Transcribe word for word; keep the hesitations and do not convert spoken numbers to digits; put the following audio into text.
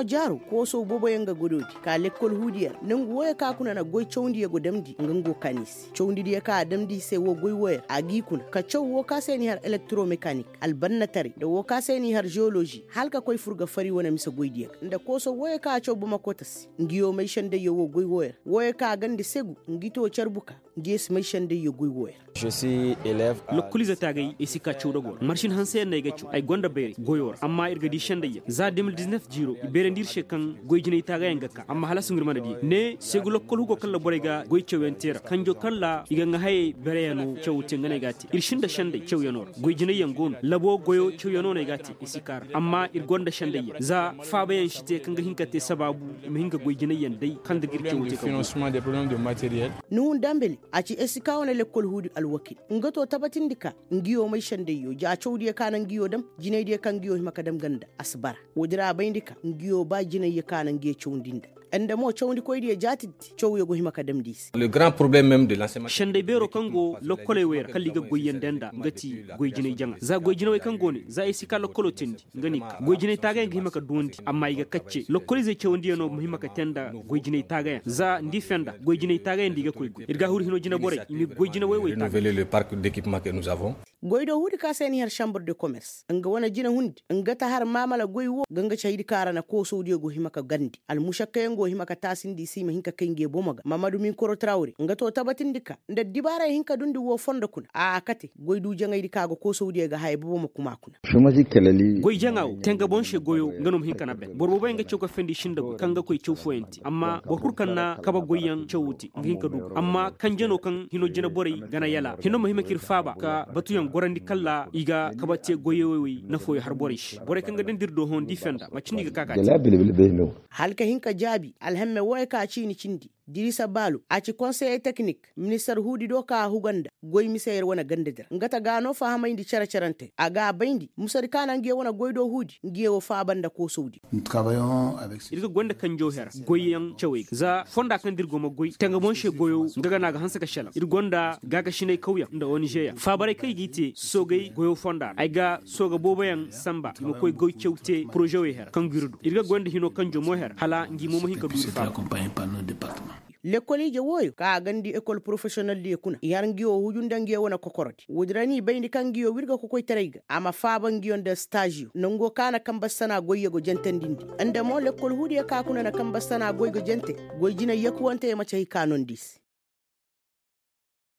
Jaaru koosow booboyaŋ ga godoodi ka lekkol huudiyaŋ ra nongu wooyo ka kuna na goy cawndiyo go damndi nga ngo kaani se cawndidiyo ka a damndi i se woo goy wooyo ra a g'i kuna ka caw woo ka se n'i har elektoromekanik albannataray nda woo ka se n'i har zewolozi hala ka koy fur ga fari wane mise goydiyo ga nda koosow wooyo ka a caw bamakota se. Nguyo may sendayyo woo goy wooyo ra wooyo ka a ganda segu ngi too carbuka. Nguyo si may sendayyo goy wooyo ra. Lokkoliize taagay ay si ka caw dogoo ra marsin hanseyaŋ no ay ga caw ay go nda bayray goyoo ra amma ir ga dii sendayyaŋ za de mil diznef jiiro i beerandi ir se kaŋ goy jinay taagayaŋ ga ka amma hala suŋ ir mana dii ne segu lokkol hugo kaŋ ra borey ga goy cawyaŋ te ra kanjo kaŋ ra i ga ŋaa hayey bereyaŋo caw te nga no ay ga a te ir si nda senday cawyaŋo ra goy jinayyaŋ go no labo goyo cawyaŋo no ay ga a te ay si ka ra amma ir go nda sendayyaŋ za faabayaŋ si te kaŋ ga hin ka te sabaabu i ma hin ka goy jinayyaŋ day kaŋ nda ga ir caw te kaŋ go no. Nuhun dambali a ci esika wane lekkol huudi alwakil nga to tabatindi ka nguyo may sendayyo ja cawdiyo ka na nguyo dam jinaydiyo kaŋ nguyo hima ka dam ganda a si bara. Woodi ra a bayndi ka nguyo ba jinayyo ka na nguyo cawndi nda nda mo cawndikoydiyo jaatindi cawyo go hima ka damndi i se. Senday beeroo kaŋ go lokkoley wey ra kala i ga goyyaŋ dee nda nga ti goy jinay jaŋa za goy jinawey kaŋ go ne za esika lokkoloo teendi nga no i ka goy jinay taagayaŋ ga hima ka duwandi amma i ga kacce lokkoliizey cawandiyaŋo ma hima ka tee nda goy jinay taagayaŋ za nda i fenda goy jinay taagayaŋ nda i ga koy goy ir ga a huru hinoo jineborey i ma i goy jinawey wey taagayaŋ. Goy do huudi ka se n'i har sambar de komers nga wane jine hundi nga ta har maamala goy woo ga nga caydi ka ra na koosawdiyo go hima ka gandi almušakkayaŋ go hima ka taasindi i se i ma hin ka kay nge bomo ga maamadu minkoro tarawre nga to tabatindi ka nda addibaaray hin ka dundi woo fondo kuna a kate goy du jaŋaydi ka ga koosawdiyo ga haya bobo ma kuma kuna. Goy jaŋa woo tenga boŋ se goyo nga no ma hin ka na ben boro booboyaŋ ga caw ka fendi i sinda goy kaŋ ga koy caw fooyaŋ te amma boro kul kaŋ na kabe goyyaŋ cawo te nga hin ka du amma kanjano kaŋ hino jina borey ga na yala hino ma hima k'ir faaba ka batuyaŋ gorandi kalla i ga kabe te goyey wey nafooyo har borey se borey kaŋ ga dandi ir do hõ nda i fenda macindi i ga ka ka te. Hala ka hin ka jaabi alhamme wooyo ka ciini cindi dirisa baalu a ci konseye teknik ministar huudi do ka a huga nda goy mise yer wane gandadi ra nga ta ga no fahamayndi cere-cerante a ga a bayndi musadi ka na nguyo wane goy do huudi nguyo wo faaba nda koosawdi. Ir ga goy nda kanjoo hera goyyaŋ cawey ga za fonda kaŋ da ir go ma goy tanga boŋ se goyo nga ga no a ga hanse ka selaŋ ir go nda gaakasinay kawyaŋ nda onizeyaŋ faabaray kaŋ i g'i te soogay goyo fonda ra ay ga sooga booboyaŋ sanba i ma koy goy caw te porozewey hera kaŋ ga ir du ir ga goy nda hinoo kanjoo mo hera hala ngi mo ma hin ka du ir faaba. Lekkol ije wooyo ka a gandi ekol porofesiyoneldiyo kuna i har nguyo huju nda nguyo wane kokorodi woodi ra n'i bayndi kaŋ nguyo wirga kokoytaray ga a ma faaba nguyo nda staaziyo nongo ka na kambe sana goyyo go jantandindi nda mo lekkol huudiyo ka kuna na kambe sana goy ga jante goy jinay yakuwante ya ma cahi ka nondi i se.